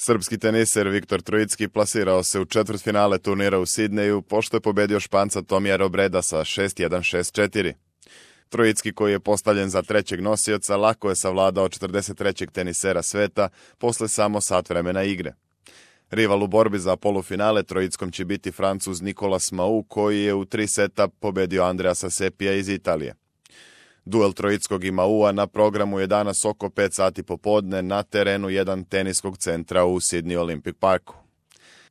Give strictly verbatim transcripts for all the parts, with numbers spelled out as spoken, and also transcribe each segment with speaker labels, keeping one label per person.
Speaker 1: Srpski teniser Viktor Trojicki plasirao se u četvrtfinale turnira u Sidneju pošto je pobedio Španca Tomija Robreda sa šest jedan šest četiri. Trojicki, koji je postavljen za trećeg nosioca, lako je savladao četrdeset trećeg tenisera sveta posle samo sat vremena igre. Rival u borbi za polufinale Trojickom će biti Francuz Nicolas Mahut, koji je u tri seta pobedio Andreasa Sepija iz Italije. Duel Trojickog i Mahuta na programu je danas oko pet sati popodne na terenu jedan teniskog centra u Sydney Olympic Parku.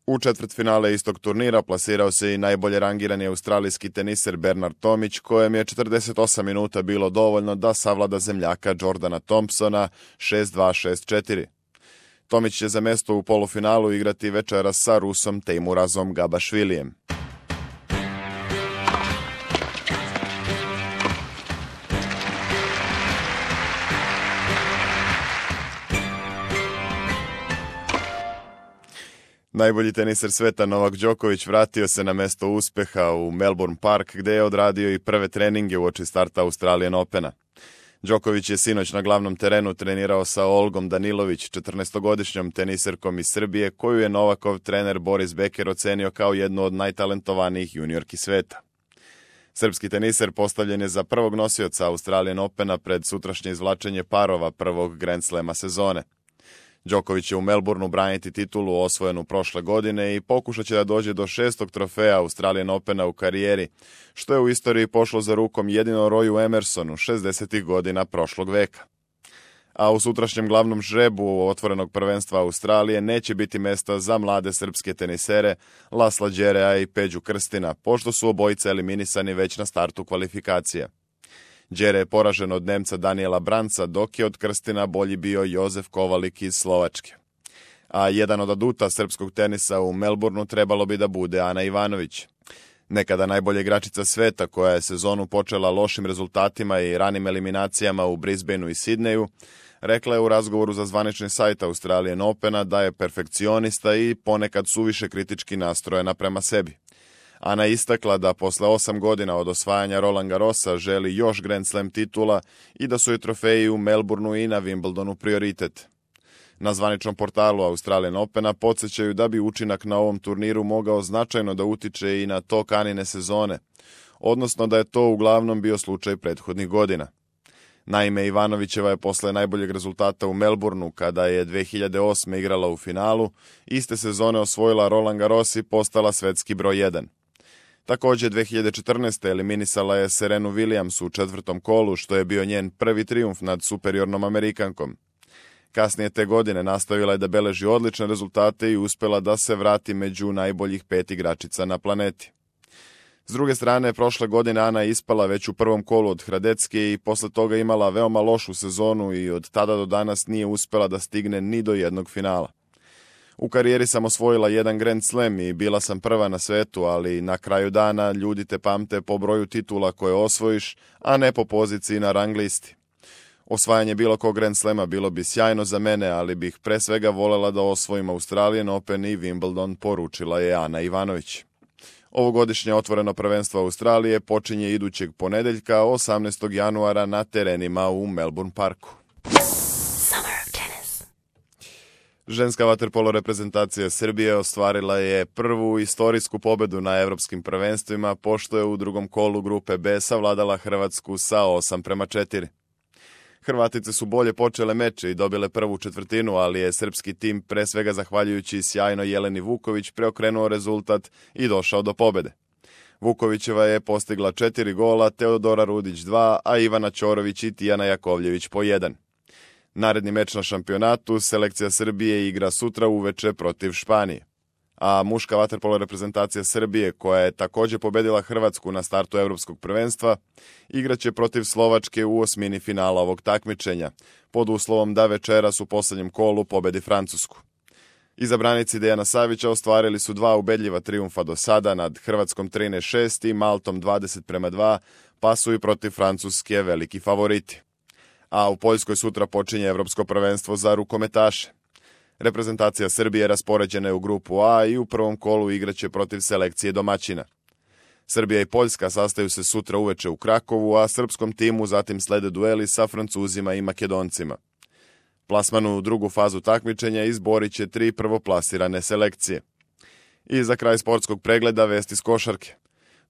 Speaker 1: U četvrtfinale istog turnira plasirao se i najbolje rangirani australijski teniser Bernard Tomić, kojem je četrdeset osam minuta bilo dovoljno da savlada zemljaka Jordana Thompsona šest dva šest četiri. Tomić će za mesto u polufinalu igrati večeras sa Rusom Teimurazom Gabašvilijem. Najbolji teniser sveta Novak Đoković vratio se na mesto uspeha u Melbourne Park, gde je odradio i prve treninge uoči starta Australian Opena. Đoković je sinoć na glavnom terenu trenirao sa Olgom Danilović, četrnaestogodišnjom teniserkom iz Srbije, koju je Novakov trener Boris Becker ocenio kao jednu od najtalentovanijih juniorki sveta. Srpski teniser postavljen je za prvog nosioca Australian Opena pred sutrašnje izvlačenje parova prvog Grand Slema sezone. Đoković će u Melbourneu braniti titulu osvojenu prošle godine i pokušat će da dođe do šestog trofeja Australian Opena u karijeri, što je u istoriji pošlo za rukom jedino Royu Emersonu šezdesetih godina prošlog veka. A u sutrašnjem glavnom žrebu otvorenog prvenstva Australije neće biti mesta za mlade srpske tenisere Lasla Đerea i Peđu Krstina, pošto su obojice eliminisani već na startu kvalifikacije. Đere je poražen od Nemca Daniela Branca, dok je od Krstina bolji bio Jozef Kovalik iz Slovačke. A jedan od aduta srpskog tenisa u Melbourneu trebalo bi da bude Ana Ivanović. Nekada najbolja igračica sveta, koja je sezonu počela lošim rezultatima i ranim eliminacijama u Brisbaneu i Sidneju, rekla je u razgovoru za zvanični sajt Australian Opena da je perfekcionista i ponekad suviše kritički nastrojena prema sebi. Ana je istakla da posle osam godina od osvajanja Roland Garrosa želi još Grand Slam titula i da su joj trofeji u Melbourneu i na Wimbledonu prioritet. Na zvaničnom portalu Australian Opena podsjećaju da bi učinak na ovom turniru mogao značajno da utiče i na tok Anine sezone, odnosno da je to uglavnom bio slučaj prethodnih godina. Naime, Ivanovićeva je posle najboljeg rezultata u Melbourneu, kada je dve hiljade osme igrala u finalu, iste sezone osvojila Roland Garros i postala svetski broj jedan. Također dve hiljade četrnaeste. eliminisala je Serenu Williams u četvrtom kolu, što je bio njen prvi trijumf nad superiornom Amerikankom. Kasnije te godine nastavila je da beleži odlične rezultate i uspela da se vrati među najboljih pet igračica na planeti. S druge strane, prošle godine Ana je ispala već u prvom kolu od Hradecke i posle toga imala veoma lošu sezonu i od tada do danas nije uspela da stigne ni do jednog finala. U karijeri sam osvojila jedan Grand Slam i bila sam prva na svetu, ali na kraju dana ljudi te pamte po broju titula koje osvojiš, a ne po poziciji na rang listi. Osvajanje bilo kog Grand Slama bilo bi sjajno za mene, ali bih pre svega volela da osvojim Australian Open i Wimbledon, poručila je Ana Ivanović. Ovogodišnje otvoreno prvenstvo Australije počinje idućeg ponedeljka osamnaestog januara na terenima u Melbourne Parku. Ženska vaterpolo reprezentacija Srbije ostvarila je prvu istorijsku pobedu na evropskim prvenstvima, pošto je u drugom kolu grupe B savladala Hrvatsku sa osam prema četiri. Hrvatice su bolje počele meče i dobile prvu četvrtinu, ali je srpski tim pre svega zahvaljujući sjajno Jeleni Vuković preokrenuo rezultat i došao do pobede. Vukovićeva je postigla četiri gola, Teodora Rudić dva, a Ivana Ćorović i Tijana Jakovljević po jedan. Naredni meč na šampionatu selekcija Srbije igra sutra uveče protiv Španije. A muška vaterpolo reprezentacija Srbije, koja je također pobedila Hrvatsku na startu evropskog prvenstva, igraće protiv Slovačke u osmini finala ovog takmičenja, pod uslovom da večeras u posljednjem kolu pobedi Francusku. Izabranici Dejana Savića ostvarili su dva ubedljiva trijumfa do sada nad Hrvatskom trinaest šest i Maltom dvadeset prema dva, pa su i protiv Francuske veliki favoriti. A u Poljskoj sutra počinje evropsko prvenstvo za rukometaše. Reprezentacija Srbije raspoređena je u grupu A i u prvom kolu igraće protiv selekcije domaćina. Srbija i Poljska sastaju se sutra uveče u Krakovu, a srpskom timu zatim slede dueli sa Francuzima i Makedoncima. Plasman u drugu fazu takmičenja izborit će tri prvoplasirane selekcije. I za kraj sportskog pregleda vesti s košarke.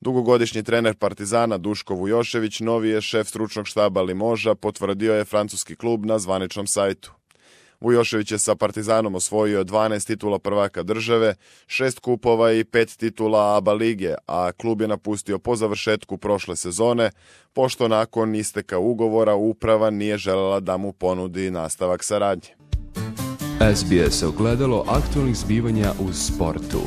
Speaker 1: Dugogodišnji trener Partizana Duško Vujošević novi je šef stručnog štaba Limoža, potvrdio je francuski klub na zvaničnom sajtu. Vujošević je sa Partizanom osvojio dvanaest titula prvaka države, šest kupova i pet titula A B A lige, a klub je napustio po završetku prošle sezone, pošto nakon isteka ugovora uprava nije želela da mu ponudi nastavak saradnje.
Speaker 2: S B S ogledalo aktualnih zbivanja u sportu.